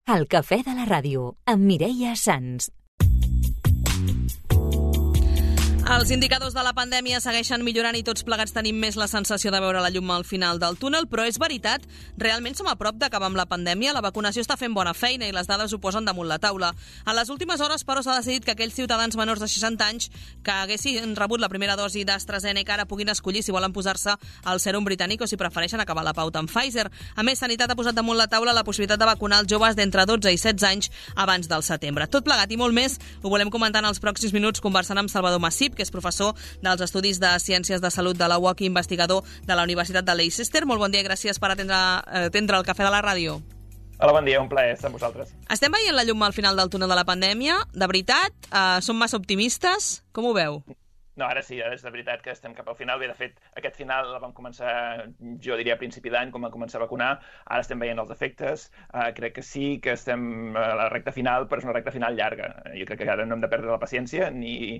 El cafè de la ràdio, amb Mireia Sans. Els indicadors de la pandèmia segueixen millorant i tots plegats tenim més la sensació de veure la llum al final del túnel, però és veritat, realment som a prop d'acabar amb la pandèmia, la vacunació està fent bona feina i les dades ho posen damunt la taula. En les últimes hores, però, s'ha decidit que aquells ciutadans menors de 60 anys que haguessin rebut la primera dosi d'AstraZeneca ara puguin escollir si volen posar-se el sèrum britànic o si prefereixen acabar la pauta amb Pfizer. A més, Sanitat ha posat damunt la taula la possibilitat de vacunar els joves d'entre 12 i 16 anys abans del setembre. Tot plegat i molt més ho volem comentar en els pròxims minuts conversant amb Salvador Massip, que és professor dels Estudis de Ciències de Salut de la UOC i investigador de la Universitat de Leicester. Molt bon dia i gràcies per atendre el cafè de la ràdio. Hola, bon dia, un plaer estar amb vosaltres. Estem veient la llum al final del túnel de la pandèmia? De veritat? Som massa optimistes? Com ho veu? No, ara sí, ara és de veritat que estem cap al final. Bé, de fet, aquest final el vam començar, jo diria, a principi d'any, quan vam començar a vacunar. Ara estem veient els efectes. Crec que sí que estem a la recta final, però és una recta final llarga. Jo crec que ara no hem de perdre la paciència ni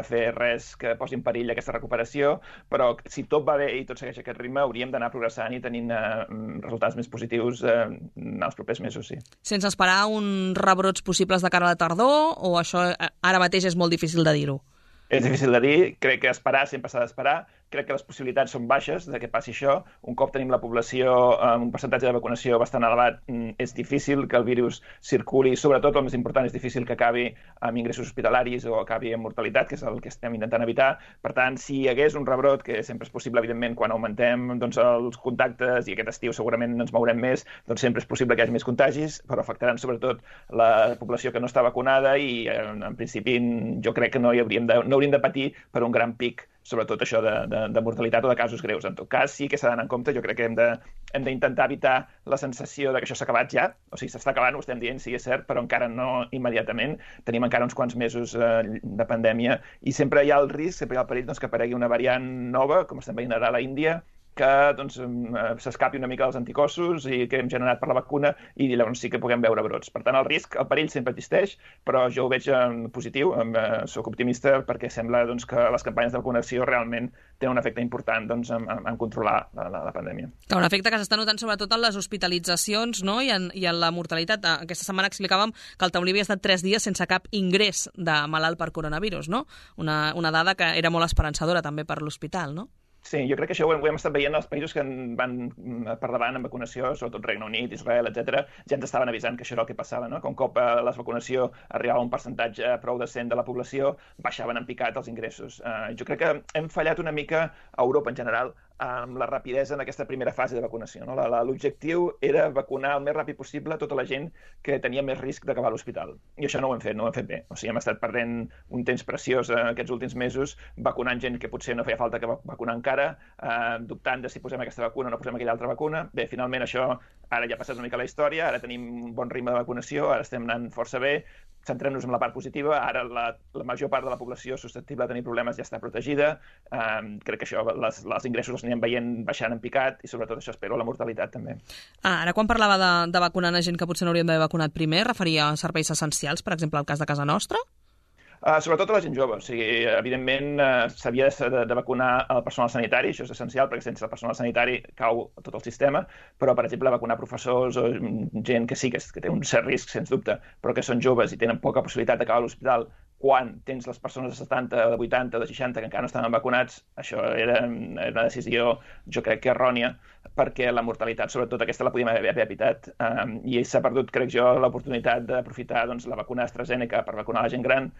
fer res que posi en perill aquesta recuperació, però si tot va bé i tot segueix aquest ritme, hauríem d'anar progressant i tenint resultats més positius en els propers mesos, sí. Sense esperar uns rebrots possibles de cara a la tardor, o això ara mateix és molt difícil de dir-ho? És difícil de dir, crec que esperar sempre s'ha d'esperar, crec que les possibilitats són baixes de que passi això. Un cop tenim la població amb un percentatge de vacunació bastant elevat, és difícil que el virus circuli, sobretot el més important és difícil que acabi amb ingressos hospitalaris o acabi amb mortalitat, que és el que estem intentant evitar. Per tant, si hi hagués un rebrot, que sempre és possible, evidentment, quan augmentem els contactes i aquest estiu segurament ens mourem més, doncs sempre és possible que hi hagi més contagis, però afectaran sobretot la població que no està vacunada i, en principi, jo crec que no hauríem de patir per un gran pic, sobretot això de mortalitat o de casos greus. En tot cas, sí que s'ha d'anar en compte. Jo crec que hem d'intentar evitar la sensació de que això s'ha acabat ja. O sigui, s'està acabant, ho estem dient, sí, és cert, però encara no immediatament. Tenim encara uns quants mesos de pandèmia i sempre hi ha el risc, sempre hi ha el perill que aparegui una variant nova, com estem veient ara a la Índia, que s'escapi una mica dels anticossos i que hem generat per la vacuna i llavors sí que puguem veure brots. Per tant, el perill sempre existeix, però jo ho veig positiu, soc optimista perquè sembla que les campanyes de vacunació realment tenen un efecte important en controlar la pandèmia. Un efecte que s'està notant sobretot en les hospitalitzacions, no? I en la mortalitat. Aquesta setmana explicàvem que el Taulí havia estat 3 dies sense cap ingrés de malalt per coronavirus, no? Una dada que era molt esperançadora també per l'hospital, no? Sí, jo crec que això ho hem estat veient als països que van per davant en vacunació, sobretot Regne Unit, Israel, etc. Ja ens estaven avisant que això era el que passava, no? Que un cop la vacunació arribava a un percentatge prou decent de la població, baixaven en picat els ingressos. Jo crec que hem fallat una mica a Europa en general amb la rapidesa en aquesta primera fase de vacunació, no? L'objectiu era vacunar el més ràpid possible tota la gent que tenia més risc d'acabar a l'hospital. I això no ho hem fet bé. O sigui, hem estat perdent un temps preciós aquests últims mesos vacunant gent que potser no feia falta que vacunar encara, dubtant de si posem aquesta vacuna o no posem aquella altra vacuna. Bé, finalment això ara ja ha passat una mica la història, ara tenim un bon ritme de vacunació, ara estem anant força bé, centrem-nos en la part positiva, ara la major part de la població susceptible de tenir problemes ja està protegida, crec que això, els ingressos els anirem veient baixant en picat i sobretot això espero la mortalitat també. Ara quan parlava de vacunar a gent que potser no hauríem d'haver vacunat primer, referia a serveis essencials, per exemple, al cas de casa nostra? Sobretot a la gent jove. O sigui, evidentment s'havia de vacunar el personal sanitari, això és essencial perquè sense el personal sanitari cau tot el sistema, però per exemple vacunar professors o gent que sí que té un cert risc, sens dubte, però que són joves i tenen poca possibilitat d'acabar a l'hospital quan tens les persones de 70, de 80, de 60 que encara no estaven vacunats, això era una decisió, jo crec que errònia, perquè la mortalitat, sobretot aquesta, la podíem haver evitat. I s'ha perdut, crec jo, l'oportunitat d'aprofitar la vacuna AstraZeneca per vacunar la gent gran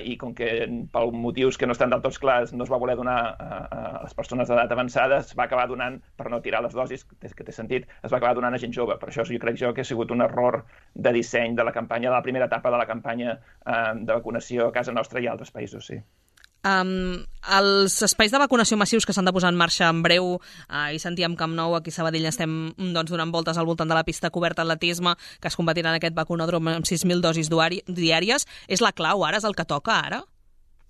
i com que per motius que no estan del tot clars no es va voler donar a les persones d'edat avançada, es va acabar donant, per no tirar les dosis, que té sentit, es va acabar donant a gent jove. Per això jo crec que ha sigut un error de disseny de la campanya, de la primera etapa de la campanya de vacunació a casa nostra i a altres països, sí. Els espais de vacunació massius que s'han de posar en marxa en breu, i sentíem Camp Nou, aquí a Sabadell estem donant voltes al voltant de la pista coberta atletisme, que es convertirà en aquest vacunòdrom amb 6.000 dosis diàries. És la clau ara? És el que toca ara?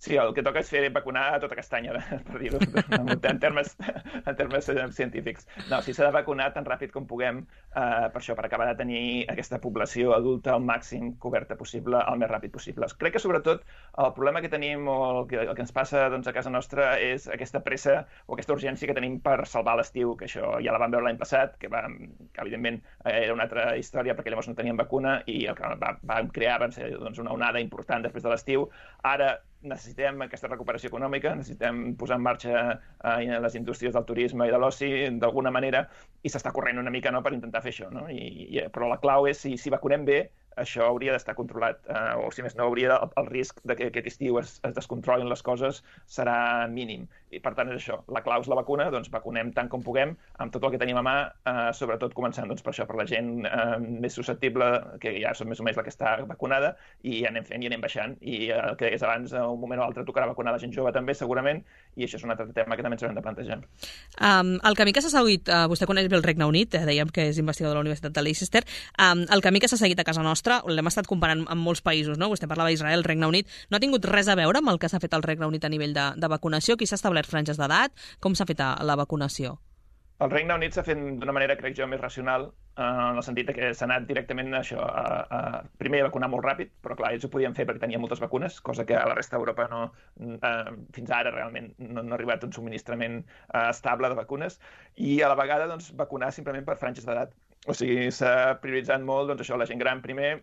Sí, el que toca és fer vacunar a tota castanya, per dir-ho en termes científics. No, sí, s'ha de vacunar tan ràpid com puguem per això, per acabar de tenir aquesta població adulta al màxim coberta possible, el més ràpid possible. Crec que, sobretot, el problema que tenim o el que ens passa a casa nostra és aquesta pressa o aquesta urgència que tenim per salvar l'estiu, que això ja la vam veure l'any passat, que evidentment era una altra història perquè llavors no teníem vacuna i el que vam crear va ser una onada important després de l'estiu. Ara necessitem aquesta recuperació econòmica, necessitem posar en marxa les indústries del turisme i de l'oci d'alguna manera i s'està corrent una mica per intentar fer això. Però la clau és si vacunem bé, això hauria d'estar controlat, o si més no, el risc que aquest estiu es descontrolin les coses serà mínim. I per tant és això, la clau és la vacuna, doncs vacunem tant com puguem, amb tot el que tenim a mà, sobretot començant per això, per la gent més susceptible, que ja som més o menys la que està vacunada, i anem fent i anem baixant. I el que deies abans, un moment o altre tocarà vacunar la gent jove també, segurament, i això és un altre tema que també ens haurem de plantejar. El camí que s'ha seguit, vostè coneix bé el Regne Unit, dèiem que és investigador de la Universitat de Leicester, el camí que s'ha seguit a casa nostra, l'hem estat comparant amb molts països, no? Vostè parlava d'Israel, Regne Unit, no ha tingut res a veure amb el que s'ha fet al Regne Unit a nivell de vacunació? Qui s'ha establert franges d'edat? Com s'ha fet la vacunació? El Regne Unit s'ha fet d'una manera, crec jo, més racional, en el sentit que s'ha anat directament primer a vacunar molt ràpid, però clar, ells ho podien fer perquè tenien moltes vacunes, cosa que a la resta d'Europa fins ara realment no ha arribat un subministrament estable de vacunes, i a la vegada vacunar simplement per franges d'edat. O sigui, s'ha prioritzat molt això, la gent gran primer,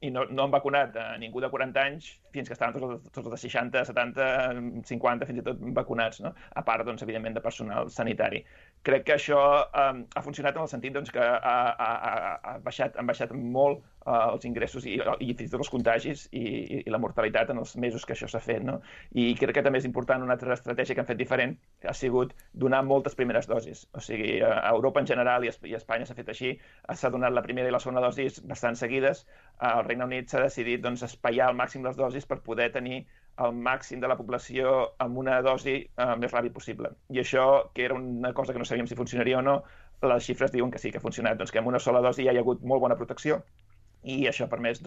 i no han vacunat a ningú de 40 anys fins que estaven tots els de 60, 70, 50, fins i tot vacunats, no? A part, evidentment, de personal sanitari. Crec que això ha funcionat en el sentit que han baixat molt els ingressos i fins i tot els contagis i la mortalitat en els mesos que això s'ha fet, no? I crec que també és important una altra estratègia que han fet diferent, que ha sigut donar moltes primeres dosis. O sigui, a Europa en general i a Espanya s'ha fet així, s'ha donat la primera i la segona dosis bastant seguides. Al Regne Unit s'ha decidit espaiar al màxim les dosis per poder tenir el màxim de la població amb una dosi més ràpid possible. I això, que era una cosa que no sabíem si funcionaria o no, les xifres diuen que sí, que ha funcionat, que amb una sola dosi ja hi ha hagut molt bona protecció i això ha permès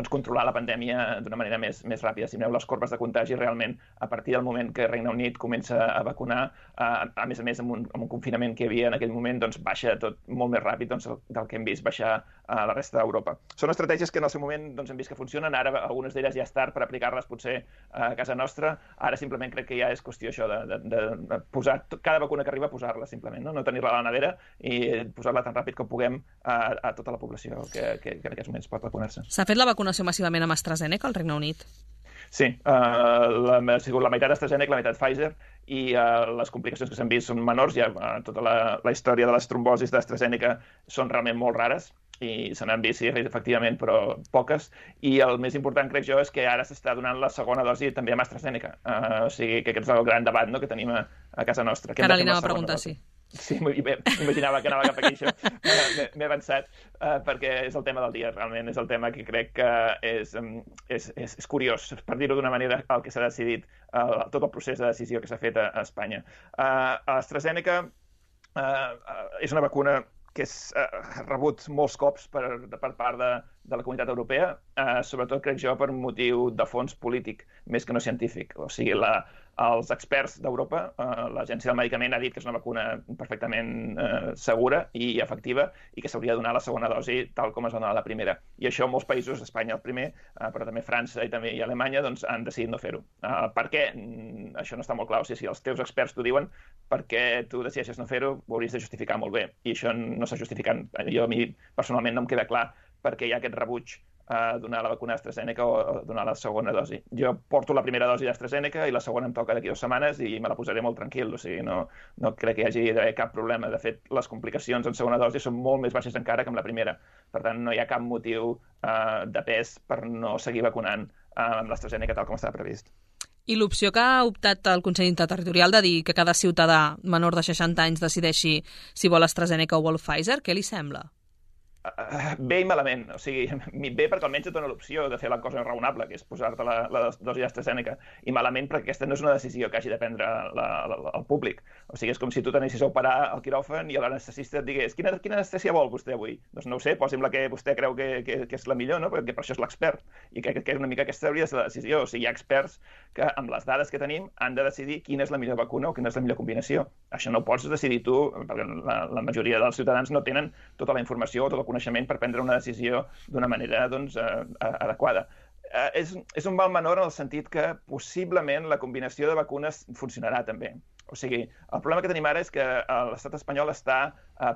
controlar la pandèmia d'una manera més ràpida. Si mireu les corbes de contagi, realment, a partir del moment que el Regne Unit comença a vacunar, a més amb un confinament que hi havia en aquell moment, baixa tot molt més ràpid del que hem vist baixar a la resta d'Europa. Són estratègies que en el seu moment hem vist que funcionen, ara algunes d'elles ja és tard per aplicar-les potser a casa nostra, ara simplement crec que ja és qüestió això de posar cada vacuna que arriba, posar-la simplement, no tenir-la a la nevera i posar-la tan ràpid com puguem a tota la població que en aquests moments pot vacunar-se. S'ha fet la vacunació massivament amb AstraZeneca al Regne Unit? Sí, ha sigut la meitat AstraZeneca, la meitat Pfizer, i les complicacions que s'han vist són menors. Ja tota la història de les trombosis d'AstraZeneca són realment molt rares i se n'han vist, sí, efectivament, però poques. I el més important, crec jo, és que ara s'està donant la segona dosi també amb AstraZeneca. O sigui, que aquest és el gran debat que tenim a casa nostra. Ara li anava a preguntar, sí. Sí, imaginava que anava cap aquí, això. M'he avançat, perquè és el tema del dia, realment. És el tema que crec que és curiós, per dir-ho d'una manera, el que s'ha decidit, tot el procés de decisió que s'ha fet a Espanya. AstraZeneca és una vacuna que ha rebut molts cops per part de la comunitat europea, sobretot, crec jo, per un motiu de fons polític, més que no científic. O sigui, els experts d'Europa, l'Agència del Medicament ha dit que és una vacuna perfectament segura i efectiva i que s'hauria de donar la segona dosi tal com es va donar la primera. I això molts països, Espanya el primer, però també França i Alemanya, han decidit no fer-ho. Per què? Això no està molt clar. O sigui, si els teus experts t'ho diuen, per què tu decideixes no fer-ho, ho hauries de justificar molt bé. I això no s'ha justificat. A mi, personalment, no em queda clar perquè hi ha aquest rebuig a donar la vacuna d'AstraZeneca o a donar la segona dosi. Jo porto la primera dosi d'AstraZeneca i la segona em toca d'aquí 2 setmanes i me la posaré molt tranquil, o sigui, no crec que hi hagi d'haver cap problema. De fet, les complicacions en segona dosi són molt més baixes encara que amb la primera. Per tant, no hi ha cap motiu de pes per no seguir vacunant amb l'AstraZeneca tal com estava previst. I l'opció que ha optat el Consell Interterritorial de dir que cada ciutadà menor de 60 anys decideixi si vol AstraZeneca o vol Pfizer, què li sembla? Bé i malament, o sigui, bé perquè almenys et dona l'opció de fer la cosa raonable, que és posar-te la dosi d'AstraZeneca, i malament perquè aquesta no és una decisió que hagi de prendre el públic. O sigui, és com si tu t'anessis a operar al quiròfan i l'anestesista et digués quina anestèsia vol vostè avui? Doncs no ho sé, posi'm la que vostè creu que és la millor, no? Perquè per això és l'expert. I crec que una mica aquesta hauria de ser la decisió. O sigui, hi ha experts que, amb les dades que tenim, han de decidir quina és la millor vacuna o quina és la millor combinació. Això no ho pots decidir tu, perquè la majoria dels ciutadans no tenen tota la informació o tot el coneixement per prendre una decisió d'una manera adequada. És un mal menor en el sentit que possiblement la combinació de vacunes funcionarà també. O sigui, el problema que tenim ara és que l'estat espanyol està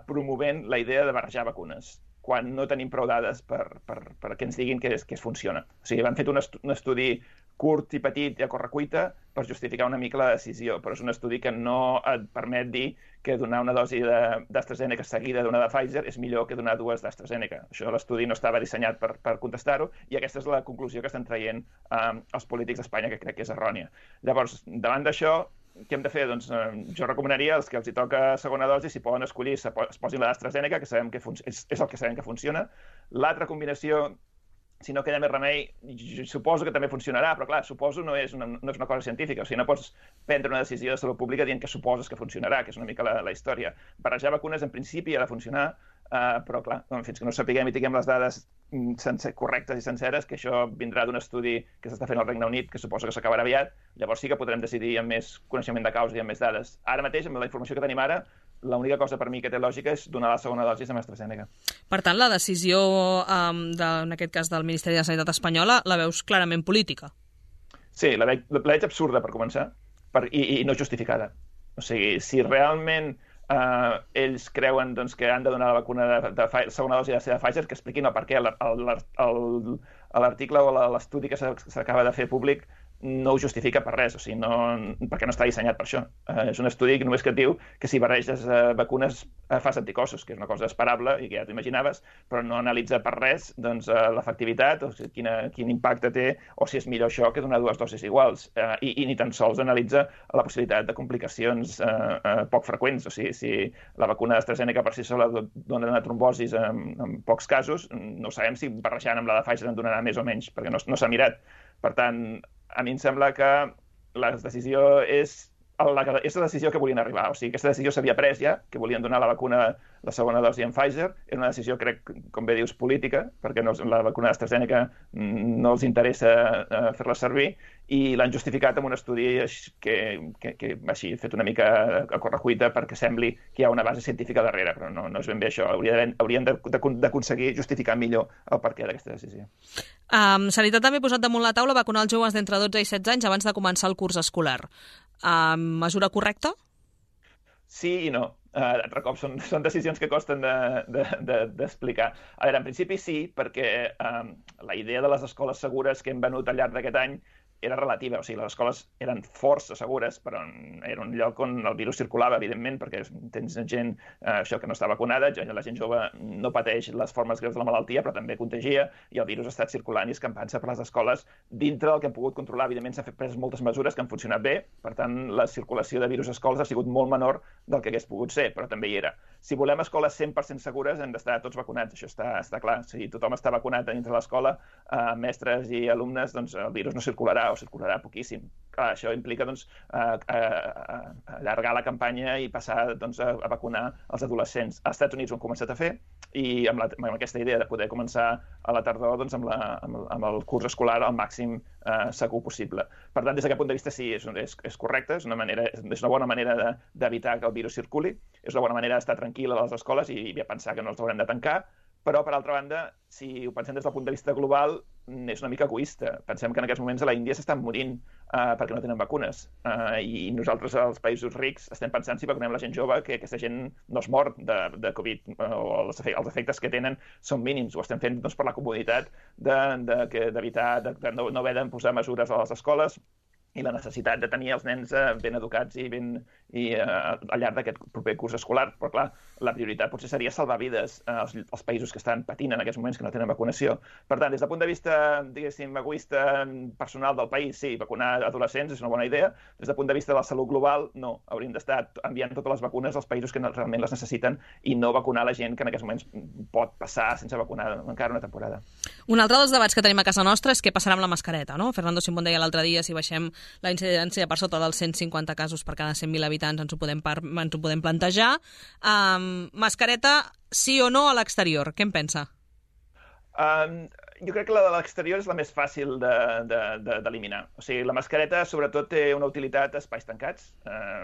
promovent la idea de barrejar vacunes quan no tenim prou dades per que ens diguin que es funciona. O sigui, han fet un estudi curt i petit i a correcuita per justificar una mica la decisió, però és un estudi que no et permet dir que donar una dosi d'AstraZeneca seguida d'una de Pfizer és millor que donar dues d'AstraZeneca. Això l'estudi no estava dissenyat per contestar-ho i aquesta és la conclusió que estan traient els polítics d'Espanya, que crec que és errònia. Llavors, davant d'això, què hem de fer? Doncs jo recomanaria als que els hi toca segona dosi, si poden escollir, es posin la d'AstraZeneca, que sabem que és el que sabem que funciona. L'altra combinació, si no queda més remei, suposo que també funcionarà, però clar, suposo no és una cosa científica, o sigui, no pots prendre una decisió de salut pública dient que suposes que funcionarà, que és una mica la història. Barrejar vacunes en principi ha de funcionar, però clar, fins que no sapiguem i tinguem les dades correctes i senceres, que això vindrà d'un estudi que s'està fent al Regne Unit, que suposo que s'acabarà aviat, llavors sí que podrem decidir amb més coneixement de causa i amb més dades. Ara mateix, amb la informació que tenim ara, l'única cosa per mi que té lògica és donar la segona dosi amb AstraZeneca. Per tant, la decisió, en aquest cas del Ministeri de Sanitat espanyola, la veus clarament política? Sí, la veig absurda, per començar, i no justificada. O sigui, si realment ells creuen que han de donar la vacuna de segona dosi de Pfizer, que expliquin el per què. L'article o l'estudi que s'acaba de fer públic no ho justifica per res, o sigui, perquè no està dissenyat per això. És un estudi que només que et diu que si barreges vacunes fas anticossos, que és una cosa esperable i que ja t'imaginaves, però no analitza per res l'efectivitat o quin impacte té o si és millor això que donar dues dosis iguals. I ni tan sols analitza la possibilitat de complicacions poc freqüents. O sigui, si la vacuna d'AstraZeneca per si sola dona trombosis en pocs casos, no sabem si barrejant amb la de Pfizer en donarà més o menys, perquè no s'ha mirat. Per tant, a mi em sembla que la decisió és la decisió que volien arribar. O sigui, aquesta decisió s'havia pres ja, que volien donar la vacuna, la segona dosi en Pfizer. Era una decisió, crec, com bé dius, política, perquè la vacuna d'AstraZeneca no els interessa fer-la servir, i l'han justificat amb un estudi que així, fet una mica a correcuita perquè sembli que hi ha una base científica darrere, però no és ben bé això. Haurien d'aconseguir justificar millor el perquè d'aquesta decisió. Sanitat també ha posat damunt la taula vacunar els joves d'entre 12 i 16 anys abans de començar el curs escolar. Mesura correcta? Sí i no. Altre cop són decisions que costen d'explicar. A veure, en principi sí, perquè la idea de les escoles segures que hem venut al llarg d'aquest any era relativa, o sigui, les escoles eren força segures, però era un lloc on el virus circulava, evidentment, perquè tens gent això que no està vacunada, la gent jove no pateix les formes greus de la malaltia, però també contagia, i el virus ha estat circulant i escampant-se per les escoles dintre del que hem pogut controlar. Evidentment, s'han fet moltes mesures que han funcionat bé, per tant, la circulació de virus a escoles ha sigut molt menor del que hagués pogut ser, però també hi era. Si volem escoles 100% segures, hem d'estar tots vacunats, això està clar. Si tothom està vacunat dintre l'escola, mestres i alumnes, doncs el virus no circularà o circularà poquíssim. Clar, això implica allargar la campanya i passar a vacunar els adolescents. Als Estats Units ho han començat a fer i amb aquesta idea de poder començar a la tardor amb el curs escolar al màxim segur possible. Per tant, des d'aquest punt de vista sí, és correcte, és una bona manera d'evitar que el virus circuli, és una bona manera d'estar tranquil a les escoles i pensar que no els haurem de tancar, però, per altra banda, si ho pensem des del punt de vista global, és una mica egoista. Pensem que en aquests moments a la Índia s'estan morint perquè no tenen vacunes. I nosaltres, als països rics, estem pensant si vacunem la gent jove, que aquesta gent no es mor de Covid, o els efectes que tenen són mínims. Ho estem fent per la comoditat d'evitar de no haver de posar mesures a les escoles i la necessitat de tenir els nens ben educats i al llarg d'aquest proper curs escolar. Però, clar, la prioritat potser seria salvar vides als països que estan patint en aquests moments que no tenen vacunació. Per tant, des del punt de vista, diguéssim, egoista personal del país, sí, vacunar adolescents és una bona idea. Des del punt de vista de la salut global, no. Hauríem d'estar enviant totes les vacunes als països que realment les necessiten i no vacunar la gent que en aquests moments pot passar sense vacunar encara una temporada. Un altre dels debats que tenim a casa nostra és què passarà amb la mascareta, no? Fernando Simón deia l'altre dia, si baixem la incidència per sota dels 150 casos per cada 100.000 habitants ens ho podem plantejar. Mascareta, sí o no a l'exterior? Què en pensa? Jo crec que la de l'exterior és la més fàcil d'eliminar. O sigui, la mascareta sobretot té una utilitat a espais tancats.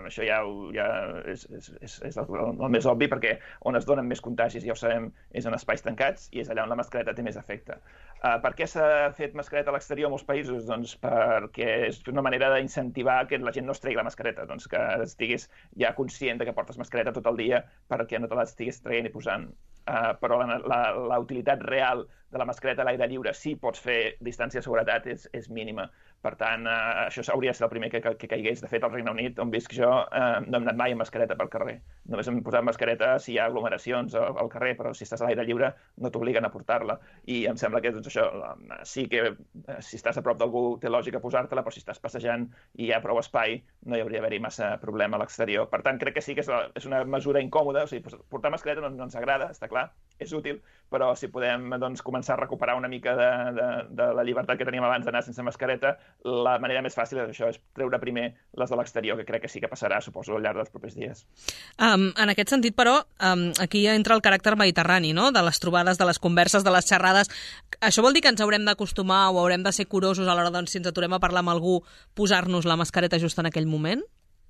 Això ja és el més obvi, perquè on es donen més contagis, ja ho sabem, és en espais tancats i és allà on la mascareta té més efecte. Per què s'ha fet mascareta a l'exterior en molts països? Doncs perquè és una manera d'incentivar que la gent no es tregui la mascareta, doncs que estiguis ja conscient que portes mascareta tot el dia perquè no te l'estiguis traient i posant. Però la utilitat real de la mascareta a l'aire lliure, si pots fer distància de seguretat, és mínima. Per tant, això hauria de ser el primer que caigués. De fet, al Regne Unit, on visc jo, no hem anat mai amb mascareta pel carrer. Només hem posat mascareta si hi ha aglomeracions al carrer, però si estàs a l'aire lliure no t'obliguen a portar-la. I em sembla que doncs, això sí que si estàs a prop d'algú té lògica posar-te-la, però si estàs passejant i hi ha prou espai, no hi hauria d'haver-hi massa problema a l'exterior. Per tant, crec que sí que és una mesura incòmoda. O sigui, portar mascareta no ens agrada, està clar, és útil, però si podem començar a recuperar una mica de la llibertat que teníem abans d'anar sense mascareta, la manera més fàcil és això, és treure primer les de l'exterior, que crec que sí que passarà, suposo, al llarg dels propers dies. En aquest sentit, però, aquí entra el caràcter mediterrani, no?, de les trobades, de les converses, de les xerrades. Això vol dir que ens haurem d'acostumar o haurem de ser curosos a l'hora, doncs, si ens aturem a parlar amb algú, posar-nos la mascareta just en aquell moment?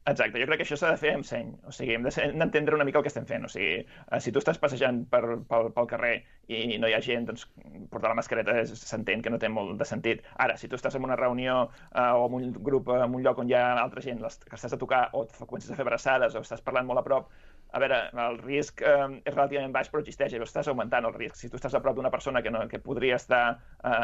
Exacte, jo crec que això s'ha de fer amb seny. O sigui, hem d'entendre una mica el que estem fent. O sigui, si tu estàs passejant pel carrer i no hi ha gent, doncs portar la mascareta s'entén que no té molt de sentit. Ara, si tu estàs en una reunió o en un grup, en un lloc on hi ha altra gent que estàs a tocar o comences a fer abraçades o estàs parlant molt a prop, a veure, el risc és relativament baix, però existeix, i estàs augmentant el risc. Si tu estàs a prop d'una persona que podria estar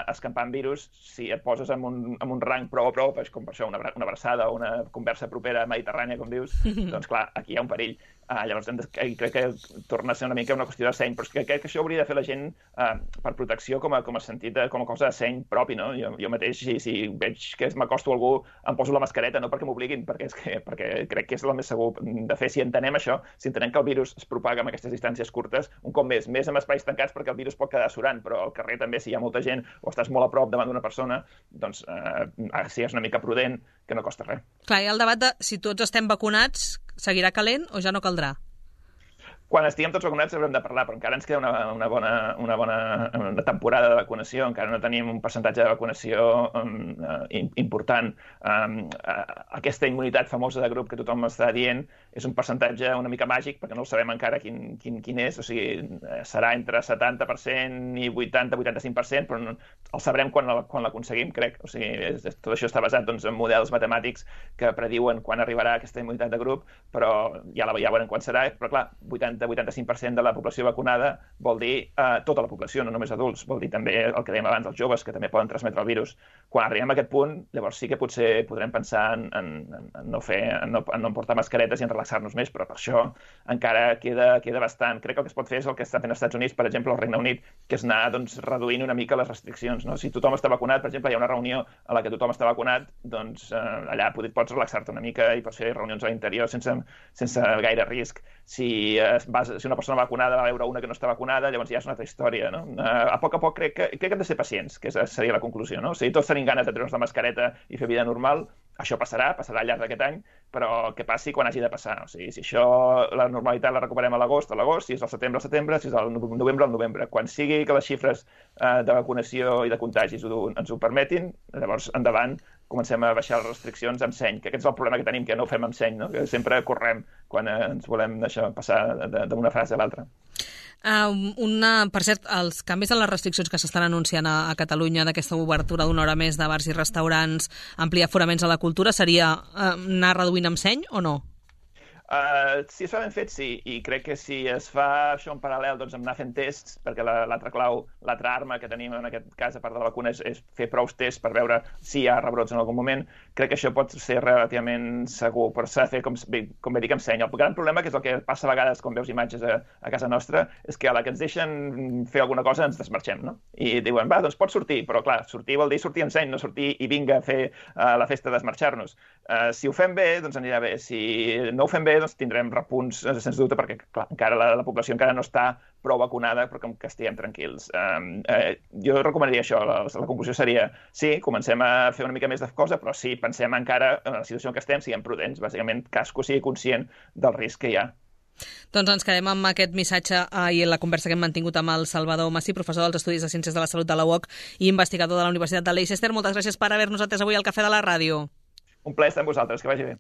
escampant virus, si et poses en un rang prou a prop, com per això una abraçada o una conversa propera mediterrània, com dius, doncs clar, aquí hi ha un perill. Llavors crec que torna a ser una mica una qüestió de seny, però crec que això hauria de fer la gent per protecció com a sentit, com a cosa de seny propi, no? Jo mateix, si veig que m'acosto a algú, em poso la mascareta, no perquè m'obliguin, perquè crec que és el més segur de fer. Si entenem això, si entenem que el virus es propaga amb aquestes distàncies curtes, un cop més en espais tancats, perquè el virus pot quedar surant, però al carrer també, si hi ha molta gent o estàs molt a prop davant d'una persona, doncs sigues una mica prudent, que no costa res. Clar, hi ha el debat de si tots estem vacunats, seguirà calent o ja no caldrà? Quan estiguem tots vacunats haurem de parlar, però encara ens queda una bona temporada de vacunació, encara no tenim un percentatge de vacunació important. Aquesta immunitat famosa de grup que tothom està dient és un percentatge una mica màgic, perquè no el sabem encara quin és, o sigui, serà entre 70% i 80-85%, però el sabrem quan l'aconseguim, crec. O sigui, tot això està basat en models matemàtics que prediuen quan arribarà aquesta immunitat de grup, però ja veurem quan serà, però clar, 80-85% de la població vacunada vol dir tota la població, no només adults, vol dir també el que dèiem abans, els joves, que també poden transmetre el virus. Quan arribem a aquest punt, llavors sí que potser podrem pensar en no portar mascaretes i en relaxar-nos més, però per això encara queda bastant. Crec que el que es pot fer és el que està fent als Estats Units, per exemple, al Regne Unit, que és anar reduint una mica les restriccions. No? Si tothom està vacunat, per exemple, hi ha una reunió a la que tothom està vacunat, doncs allà pots relaxar-te una mica i pots fer reunions a l'interior sense gaire risc. Si una persona vacunada va veure una que no està vacunada, llavors ja és una altra història, no? A poc crec que hem de ser pacients, que seria la conclusió, no? O sigui, tots tenim ganes de treure'ns la mascareta i fer vida normal, això passarà al llarg d'aquest any, però que passi quan hagi de passar. O sigui, si la normalitat la recuperem a l'agost, si és al setembre, si és al novembre. Quan sigui que les xifres de vacunació i de contagis ens ho permetin, llavors endavant, comencem a baixar les restriccions amb seny, que aquest és el problema que tenim, que no ho fem amb seny, no? Que sempre correm quan ens volem passar d'una fase a l'altra. Per cert, els canvis en les restriccions que s'estan anunciant a Catalunya d'aquesta obertura d'una hora més de bars i restaurants, ampliar aforaments a la cultura, seria anar reduint amb seny o no? Si es fa ben fet, sí, i crec que si es fa això en paral·lel doncs, amb anar fent tests, perquè l'altra clau, l'altra arma que tenim en aquest cas, a part de la vacuna, és fer prou tests per veure si hi ha rebrots en algun moment, crec que això pot ser relativament segur, però s'ha de fer, com bé dic, amb seny. El gran problema, que és el que passa a vegades quan veus imatges a casa nostra, és que a la que ens deixen fer alguna cosa ens desmarxem, no? I diuen, va, doncs pots sortir, però clar, sortir vol dir sortir amb seny, no sortir i vinga a fer la festa de desmarxar-nos. Si ho fem bé, doncs anirà bé. Si no ho fem bé, doncs tindrem repunts, sens dubte, perquè clar, encara la població encara no està prou vacunada, però que estiguem tranquils. Jo recomanaria això, la conclusió seria, sí, comencem a fer una mica més de cosa, però sí, pensem encara en la situació en què estem, siguem prudents, bàsicament cadascú sigui conscient del risc que hi ha. Doncs ens quedem amb aquest missatge i la conversa que hem mantingut amb el Salvador Masí, professor dels Estudis de Ciències de la Salut de la UOC i investigador de la Universitat de Leicester. Moltes gràcies per haver-nos atès avui al Cafè de la Ràdio. Un plaer estar amb vosaltres, que vagi bé.